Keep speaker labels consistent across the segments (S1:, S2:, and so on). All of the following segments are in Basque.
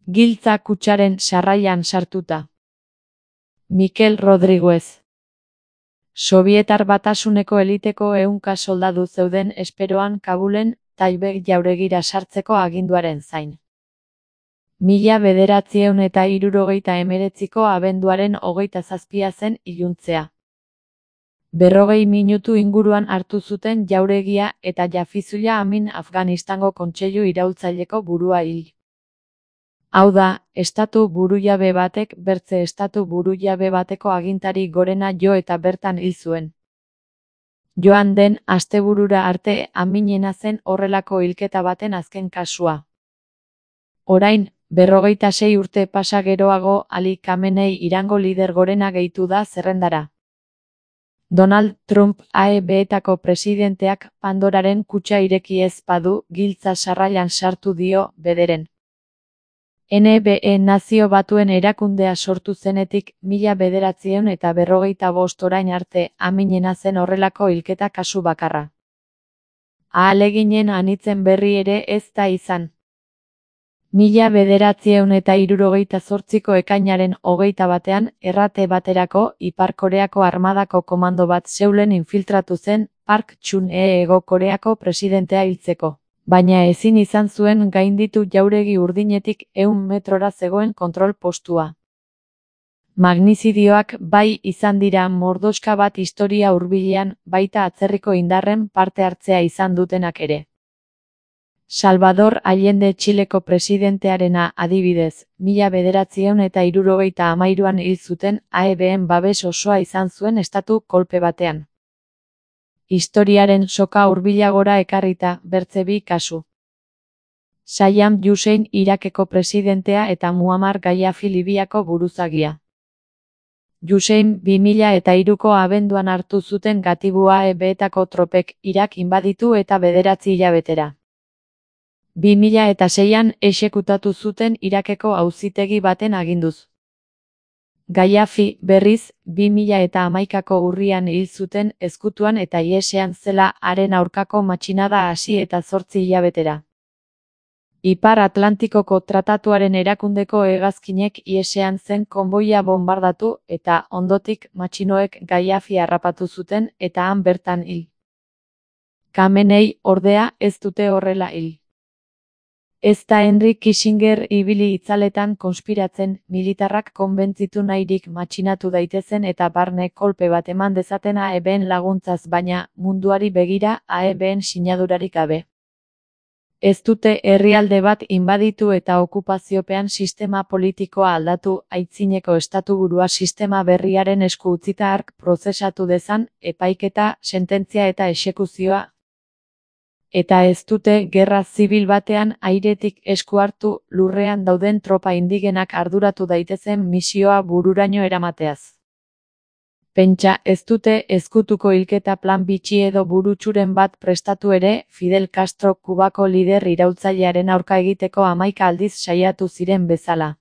S1: Giltza kutxaren sarrailan sartuta. Mikel Rodriguez. Sobietar Batasuneko eliteko 100 soldadu zeuden esperoan Kabulen Taibet jauregira sartzeko aginduaren zain. 1939ko abenduaren 27 zen iluntzea. 40 minutu inguruan hartu zuten jauregia eta Jafizullah Amin Afganistango kontseilu iraultzaileko burua hil. Hau da, estatu burujabe batek bertze estatu burujabe bateko agintari gorena jo eta bertan hil zuen. Joan den asteburura arte Aminena zen horrelako hilketa baten azken kasua. Orain, 46 urte pasa geroago Ali Khamenei Irango lider gorena gehitu da zerrendara. Donald Trump AEB-etako presidenteak Pandoraren kutxa ireki ez badu giltza sarrailan sartu dio bederen. NBE Nazio Batuen erakundea sortu zenetik 1945 orain arte Aminena zen horrelako hilketa kasu bakarra. Ahaleginen anitzen berri ere ez da izan. 1978ko ekainaren 21ean errate baterako Ipar Koreako armadako komando bat Seulen infiltratu zen Park Chung-hee Hego Koreako presidentea hiltzeko. Baina ezin izan zuen gainditu jauregi urdinetik 100 metrora zegoen kontrol postua. Magnizidioak bai izan dira mordoska bat historia hurbilean, baita atzerriko indarren parte hartzea izan dutenak ere. Salvador Allende Txileko presidentearena adibidez, 1973an hil zuten AEB-en babes osoa izan zuen estatu kolpe batean. Historiaren soka hurbilagora ekarrita bertze bi kasu. Saddam Hussein Irakeko presidentea eta Muammar Gaddafi Libiako buruzagia. Hussein 2003ko abenduan hartu zuten gatibu AEB-etako tropek Irak inbaditu eta 9 hilabetera. 2006an exekutatu zuten Irakeko auzitegi baten aginduz. Gaddafi, berriz, 2011ko urrian hil zuten ezkutuan eta ihesean zela haren aurkako matxinada hasi eta 8 hilabetera. Ipar Atlantikoko Tratatuaren erakundeko hegazkinek ihesean zen konboia bonbardatu eta ondotik matxinoek Gaddafi harrapatu zuten eta han bertan hil. Khamenei, ordea, ez dute horrela hil. Ez da Henry Kissinger ibili itzaletan konspiratzen, militarrak konbentzitu nahirik matxinatu daitezen eta barne kolpe bat eman dezaten AEB-en laguntzaz baina munduari begira AEB-en sinadurarik gabe. Ez dute herrialde bat inbaditu eta okupaziopean sistema politikoa aldatu, aitzineko estatuburua sistema berriaren esku utzita hark prozesatu dezan, epaiketa, sententzia eta exekuzioa. Eta ez dute gerra zibil batean airetik esku hartu lurrean dauden tropa indigenak arduratu daitezen misioa bururaino eramateaz. Pentsa ez dute ezkutuko hilketa plan bitxi edo burutsuren bat prestatu ere Fidel Castro Kubako lider iraultzailearen aurka egiteko 11 aldiz saiatu ziren bezala.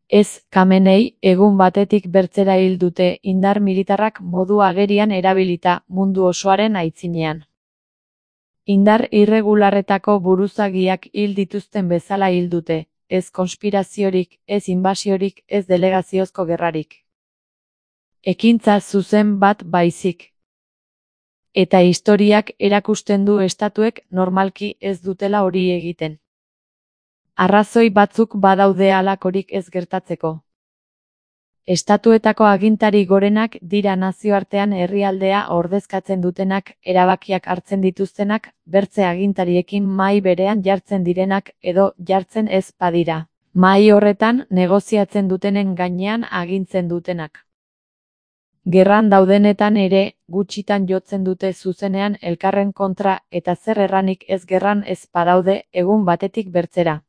S1: Ez, Khamenei, egun batetik bertzera hil dute indar militarrak modu agerian erabilita mundu osoaren aitzinean. Indar irregularretako buruzagiak hil dituzten bezala hil dute, ez konspiraziorik, ez inbasiorik, ez delegaziozko gerrarik. Ekintza zuzen bat baizik. Eta historiak erakusten du estatuek normalki ez dutela hori egiten. Arrazoi batzuk badaude halakorik ez gertatzeko. Estatuetako agintari gorenak dira nazioartean herrialdea ordezkatzen dutenak, erabakiak hartzen dituztenak, bertze agintariekin mahai berean jartzen direnak edo jartzen ez badira. Mahai horretan negoziatzen dutenen gainean agintzen dutenak. Gerran daudenetan ere, gutxitan jotzen dute zuzenean elkarren kontra eta zer erranik ez gerran ez badaude egun batetik bertzera.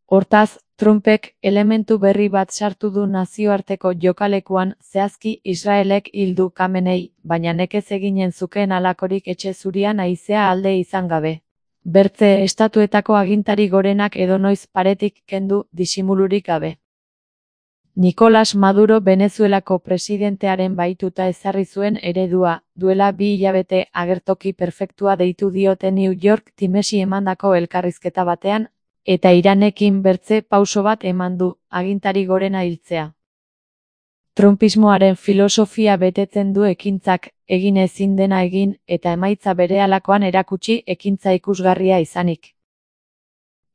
S1: Hortaz, Trumpek elementu berri bat sartu du nazioarteko jokalekuan zehazki Israelek hil du Khamenei, baina nekez eginen zukeen halakorik etxe zurian haizea alde izan gabe. Bertze estatuetako agintari gorenak edonoiz paretik kendu disimulurik gabe. Nicolás Maduro Venezuelako presidentearen bahituta ezarri zuen eredua, duela 2 hilabete agertoki perfektua deitu diote New York Timesi emandako elkarrizketa batean, eta Iranekin bertze pauso bat eman du, agintari gorena hiltzea. Trumpismoaren filosofia betetzen du ekintzak, egin ezin dena egin, eta emaitza berehalakoan erakutsi ekintza ikusgarria izanik.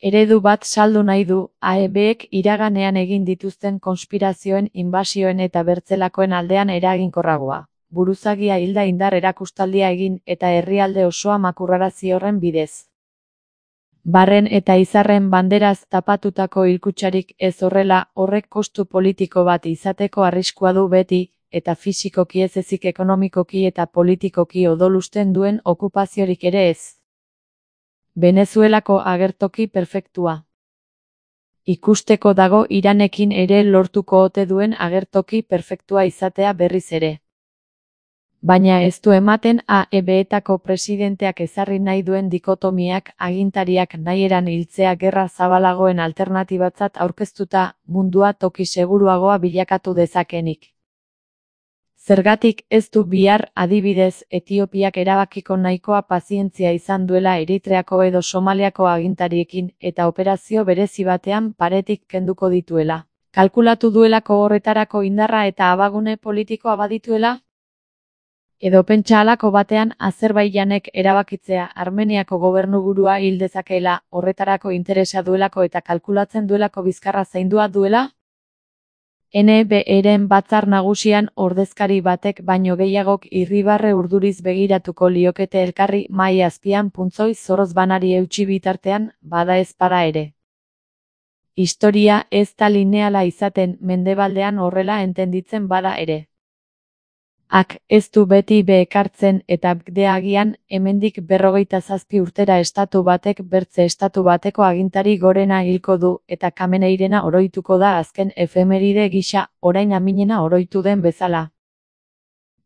S1: Eredu bat saldu nahi du, AEBek iraganean egin dituzten konspirazioen, inbasioen eta bertzelakoen aldean eraginkorragoa. Buruzagia hilda indar erakustaldia egin eta herrialde osoa makurrarazi horren bidez. Barren eta izarren banderaz tapatutako hilkutxarik ez horrela, horrek kostu politiko bat izateko arriskua du beti, eta fisikoki ez ezik ekonomikoki eta politikoki odolusten duen okupaziorik ere ez. Venezuelako agertoki perfektua. Ikusteko dago Iranekin ere lortuko ote duen agertoki perfektua izatea berriz ere. Baina ez du ematen AEBetako presidenteak ezarri nahi duen dikotomiak agintariak nahieran hiltzea gerra zabalagoen alternatibatzat aurkeztuta mundua toki seguruagoa bilakatu dezakenik. Zergatik ez du bihar, adibidez, Etiopiak erabakiko nahikoa pazientzia izan duela Eritreako edo Somaliako agintariekin eta operazio berezi batean paretik kenduko dituela. Kalkulatu duelako horretarako indarra eta abagune politikoa badituela? Edo pentsa halako batean Azerbaijanek erabakitzea Armeniako gobernuburua hil dezakeela, horretarako interesa duelako eta kalkulatzen duelako bizkarra zaindua duela? NBeren batzar nagusian ordezkari batek baino gehiagok irribarre urduriz begiratuko liokete elkarri mahai azpian puntzoi zoroz banari eutsi bitartean, bada ez bada ere. Historia ez da lineala izaten mendebaldean horrela entenditzen bada ere. Ez du beti bekartzen eta bde agian, hemendik 57 urtera estatu batek bertze estatu bateko agintari gorena hilko du, eta Kameneirena oroituko da azken efemeride gisa, orain Aminena oroitu den bezala.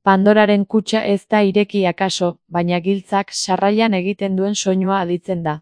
S1: Pandoraren kutxa ez da ireki akaso, baina giltzak sarrailan egiten duen soinua aditzen da.